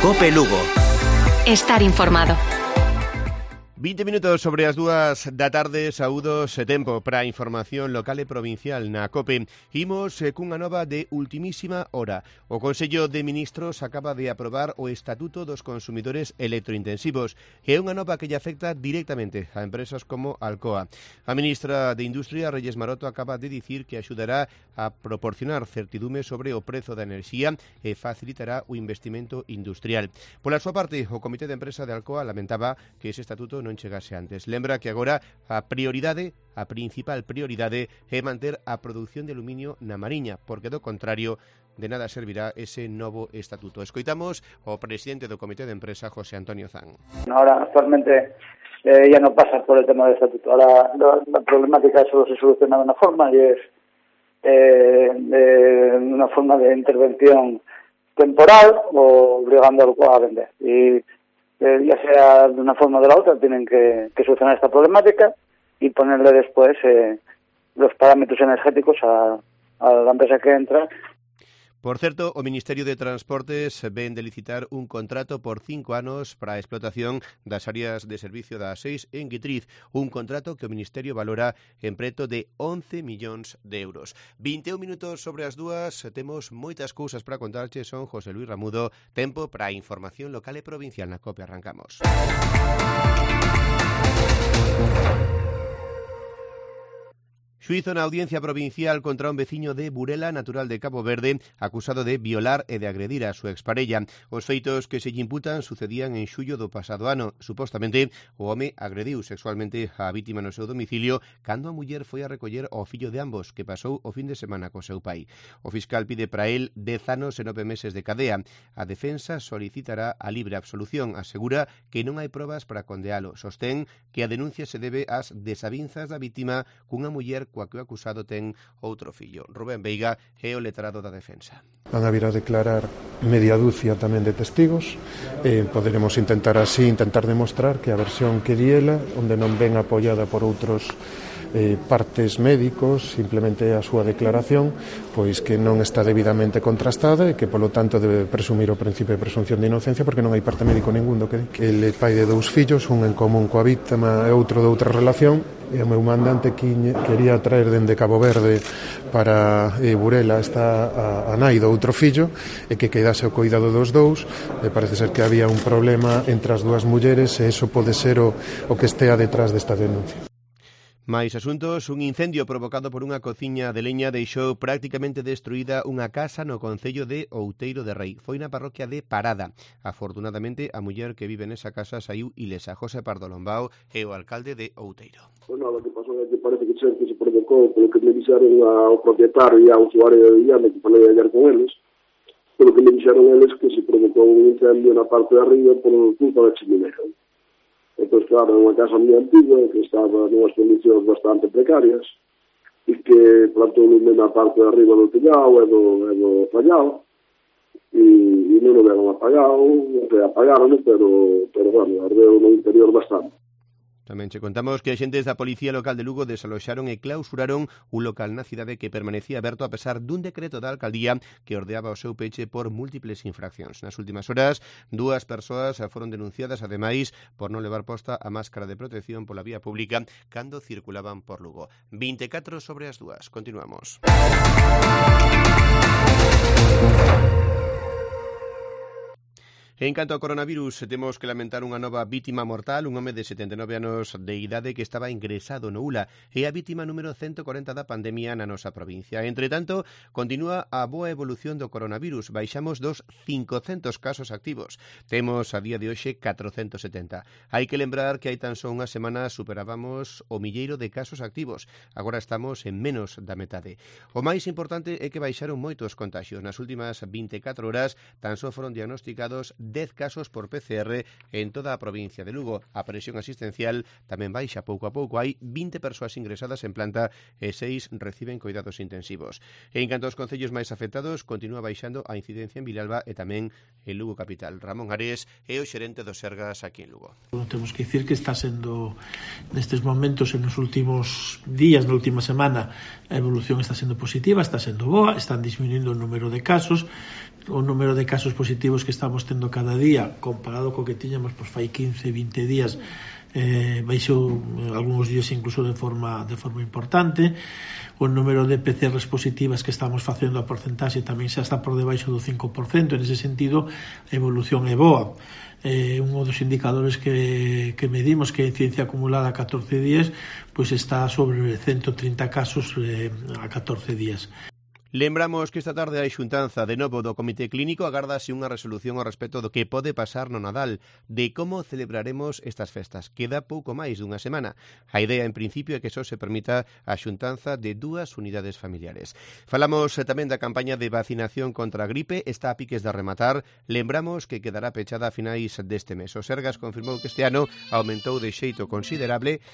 COPE Lugo. Estar informado. 20 minutos sobre as 2 da tarde, saúdos e tempo para a información local e provincial na COPE. Imos cunha nova de ultimísima hora. O Consello de Ministros acaba de aprobar o Estatuto dos Consumidores Electrointensivos. É unha nova que lle afecta directamente a empresas como Alcoa. A ministra de Industria, Reyes Maroto, acaba de dicir que axudará a proporcionar certidume sobre o prezo da enerxía e facilitará o investimento industrial. Pola súa parte, o Comité de Empresa de Alcoa lamentaba que ese estatuto non chegase antes. Lembra que agora a principal prioridade é manter a produción de aluminio na Mariña, porque do contrario de nada servirá ese novo estatuto. Escoitamos o presidente do Comité de Empresa, José Antonio Zan. Ahora actualmente ya no pasa por el tema del estatuto. Ahora la problemática solo se soluciona de una forma y es una forma de intervención temporal o obligando a vender. Y ya sea de una forma o de la otra, tienen que solucionar esta problemática y ponerle después los parámetros energéticos a la empresa que entra. Por certo, o Ministerio de Transportes ven de licitar un contrato por 5 anos para a explotación das áreas de servicio da A6 en Guitriz, un contrato que o Ministerio valora en preto de 11 millóns de euros. 21 minutos sobre as 2, temos moitas cousas para contarche, son José Luis Ramudo, tempo para a información local e provincial na COPE, arrancamos. Xuízo na Audiencia Provincial contra un veciño de Burela, natural de Cabo Verde, acusado de violar e de agredir a súa exparella. Os feitos que se lle imputan sucedían en xullo do pasado ano. Supostamente, o home agrediu sexualmente a vítima no seu domicilio cando a muller foi a recoller ao fillo de ambos, que pasou o fin de semana co seu pai. O fiscal pide para el 10 anos e 9 meses de cadea. A defensa solicitará a libre absolución. Asegura que non hai probas para condealo. Sostén que a denuncia se debe ás desavinzas da vítima cunha muller coa que o acusado ten outro fillo. Rubén Veiga é o letrado da defensa. Van a vir a declarar media dúcia tamén de testigos. Poderemos intentar demostrar que a versión que di ela, onde non ven apoiada por outros partes médicos, simplemente a súa declaración, pois que non está debidamente contrastada e que, polo tanto, debe presumir o principio de presunción de inocencia porque non hai parte médico ningún do que di. Ele é pai de 2 fillos, un en común coa vítima e outro de outra relación, e o meu mandante quería traer dende Cabo Verde para Burela a nai do outro fillo e que quedase o cuidado dos dous. Parece ser que había un problema entre as 2 mulleres e iso pode ser o que estea detrás desta denuncia. Mais asuntos, un incendio provocado por unha cociña de leña deixou prácticamente destruída unha casa no concello de Outeiro de Rei. Foi na parroquia de Parada. Afortunadamente, a muller que vive nesa casa saiu ilesa. José Pardo Lombao é o alcalde de Outeiro. Pois nada, o que pasou é que parece que se provocou polo que me dixeron ao propietario e ao usuario de Villame, que falei ayer con eles, polo que me dixeron eles que se provocou un incendio na parte de arriba por culpa da chimenea. Entón, claro, é unha casa moi antiga que estaba nunhas condicións bastante precarias e que plantou lume na parte de arriba do tellao e do fallao e non o deron apagado, apagaron, pero bueno, ardeu no interior bastante. Tamén che contamos que axentes da Policía Local de Lugo desaloxaron e clausuraron un local na cidade que permanecía aberto a pesar dun decreto da alcaldía que ordeaba o seu peche por múltiples infraccións. Nas últimas horas, 2 persoas foron denunciadas, ademais, por non levar posta a máscara de protección pola vía pública cando circulaban por Lugo. 24 sobre as 2. Continuamos. En canto ao coronavirus, temos que lamentar unha nova vítima mortal, un home de 79 anos de idade que estaba ingresado no ULA. É a vítima número 140 da pandemia na nosa provincia. Entre tanto, continúa a boa evolución do coronavirus. Baixamos dos 500 casos activos. Temos a día de hoxe 470. Hai que lembrar que hai tan só unha semana superábamos o milleiro de casos activos. Agora estamos en menos da metade. O máis importante é que baixaron moitos contagios. Nas últimas 24 horas tan só foron diagnosticados 10 casos por PCR en toda a provincia de Lugo. A presión asistencial tamén baixa pouco a pouco. Hai 20 persoas ingresadas en planta e 6 reciben cuidados intensivos. En canto aos concellos máis afectados, continúa baixando a incidencia en Vilalba e tamén en Lugo capital. Ramón Ares é o xerente do Sergas aquí en Lugo. Temos que dicir que está sendo nestes momentos, en os últimos días, na última semana, a evolución está sendo positiva, está sendo boa, están disminuindo o número de casos. o número de casos positivos que estamos tendo cada día comparado co que tiñamos fai 15-20 días baixou algúns días incluso de forma importante. O número de PCRs positivas que estamos facendo, a porcentaxe tamén xa está por debaixo do 5%. En ese sentido, a evolución é boa. Un dos indicadores que medimos, que é ciencia acumulada a 14 días, pois está sobre 130 casos a 14 días. Lembramos que esta tarde a xuntanza de novo do Comité Clínico agárdase unha resolución ao respecto do que pode pasar no Nadal, de como celebraremos estas festas. Queda pouco máis dunha semana. A idea, en principio, é que só se permita a xuntanza de 2 unidades familiares. Falamos tamén da campaña de vacinación contra a gripe, está a piques de rematar. Lembramos que quedará pechada a finais deste mes. O Sergas confirmou que este ano aumentou de xeito considerable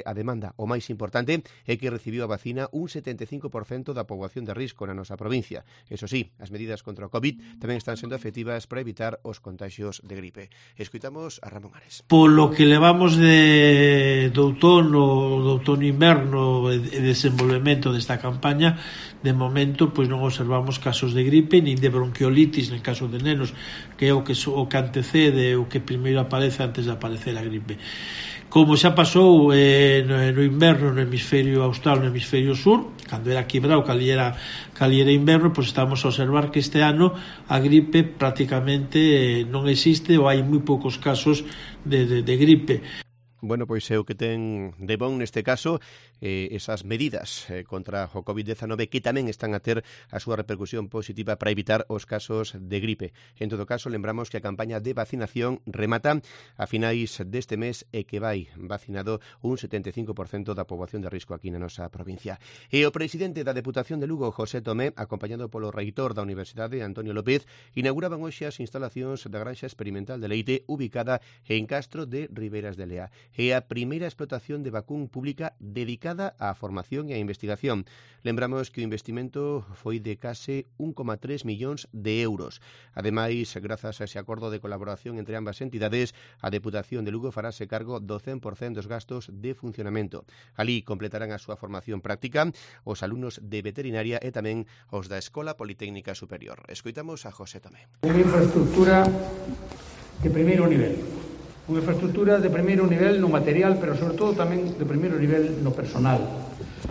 a demanda. O máis importante é que recibiu a vacina un 75% da poboación de risco na nosa provincia. Eso sí, as medidas contra o COVID tamén están sendo efectivas para evitar os contagios de gripe. Escoitamos a Ramón Ares. Polo que levamos do outono inverno e desenvolvemento desta campaña, de momento pois non observamos casos de gripe nin de bronquiolitis en caso de nenos, que é o que antecede, o que primeiro aparece antes de aparecer a gripe. Como xa pasou no inverno no hemisferio austral, no hemisferio sur, cando era quebrado, cali era inverno, pois estamos a observar que este ano a gripe prácticamente non existe, ou hai moi poucos casos de gripe. Bueno, pois é o que ten de bon neste caso esas medidas contra o COVID-19 que tamén están a ter a súa repercusión positiva para evitar os casos de gripe. En todo caso, lembramos que a campaña de vacinación remata a finais deste mes e que vai vacinado un 75% da poboación de risco aquí na nosa provincia. E o presidente da Deputación de Lugo, José Tomé, acompañado polo reitor da Universidade, Antonio López, inauguraban hoxe as instalacións da Granxa Experimental de Leite ubicada en Castro de Ribeiras de Lea. É a primeira explotación de vacún pública dedicada á formación e á investigación. Lembramos que o investimento foi de case 1,3 millóns de euros. Ademais, grazas a ese acordo de colaboración entre ambas entidades, a Deputación de Lugo farase cargo do 100% dos gastos de funcionamento. Alí completarán a súa formación práctica os alumnos de veterinaria e tamén os da Escola Politécnica Superior. Escoitamos a José Tomé. Unha infraestructura de primeiro nivel. Unha infraestructura de primeiro nivel no material, pero sobre todo tamén de primeiro nivel no personal,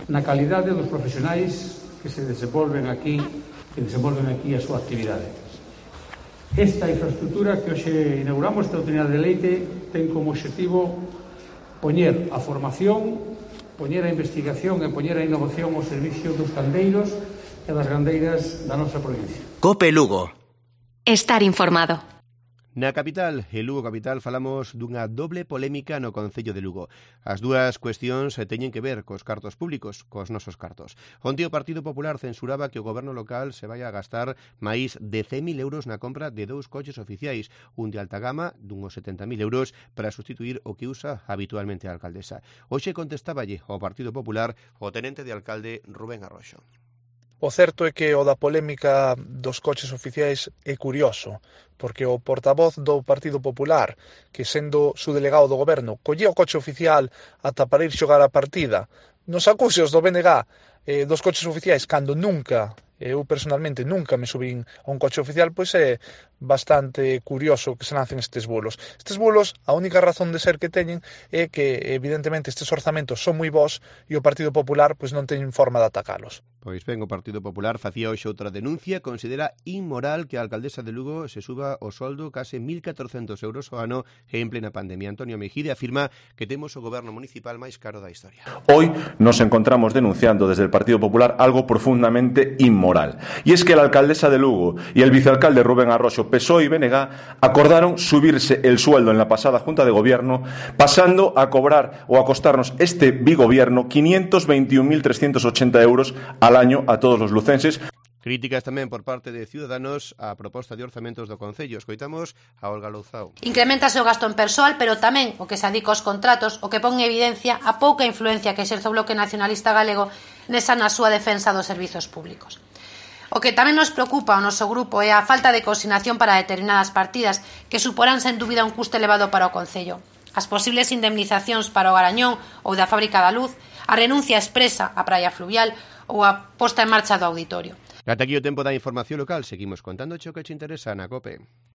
na calidade dos profesionais que se desenvolven aquí a súa actividade. Esta infraestructura que hoxe inauguramos, esta unidade de Leite, ten como objetivo poñer a formación, poñer a investigación e poñer a innovación ao servicio dos gandeiros e das gandeiras da nosa provincia. COPE Lugo. Estar informado. Na capital, en Lugo capital, falamos dunha doble polémica no Concello de Lugo. As dúas cuestións teñen que ver cos cartos públicos, cos nosos cartos. Onte o Partido Popular censuraba que o goberno local se vai a gastar máis de 100.000 euros na compra de 2 coches oficiais, un de alta gama dunhos 70.000 euros para sustituir o que usa habitualmente a alcaldesa. Hoxe contestáballe ao Partido Popular o tenente de alcalde Rubén Arroxo. O certo é que o da polémica dos coches oficiais é curioso, porque o portavoz do Partido Popular, que sendo su delegado do goberno, collía o coche oficial ata para ir xogar a partida, nos acusios do BNG dos coches oficiais, cando nunca, eu personalmente nunca me subín a un coche oficial, pois é bastante curioso que se lancen estes bulos. Estes bulos, a única razón de ser que teñen é que, evidentemente, estes orzamentos son moi bons e o Partido Popular pois non teñen forma de atacalos. Pois ben, o Partido Popular facía hoxe outra denuncia, considera inmoral que a alcaldesa de Lugo se suba o soldo case 1.400 euros ao ano en plena pandemia. Antonio Mejide afirma que temos o goberno municipal máis caro da historia. Hoy nos encontramos denunciando desde el Partido Popular algo profundamente inmoral. Y es que la alcaldesa de Lugo y el vicealcalde Rubén Arroxo, PSOE y BNG, acordaron subirse el sueldo en la pasada Junta de Gobierno, pasando a cobrar o a costarnos este bigobierno 521.380 euros al año a todos los lucenses. Críticas tamén por parte de Ciudadanos á proposta de orzamentos do Concello. Escoitamos a Olga Louzao. Incrementase o gasto en persoal, pero tamén o que se adica aos contratos, o que pon en evidencia a pouca influencia que exerce o Bloque Nacionalista Galego na súa defensa dos servizos públicos. O que tamén nos preocupa ao noso grupo é a falta de consignación para determinadas partidas que suporán sen dúbida un custo elevado para o Concello. As posibles indemnizacións para o Garañón ou da Fábrica da Luz, a renuncia expresa á praia fluvial ou a posta en marcha do auditorio. Ata aquí o tempo da información local. Seguimos contándoche o que te interesa na COPE.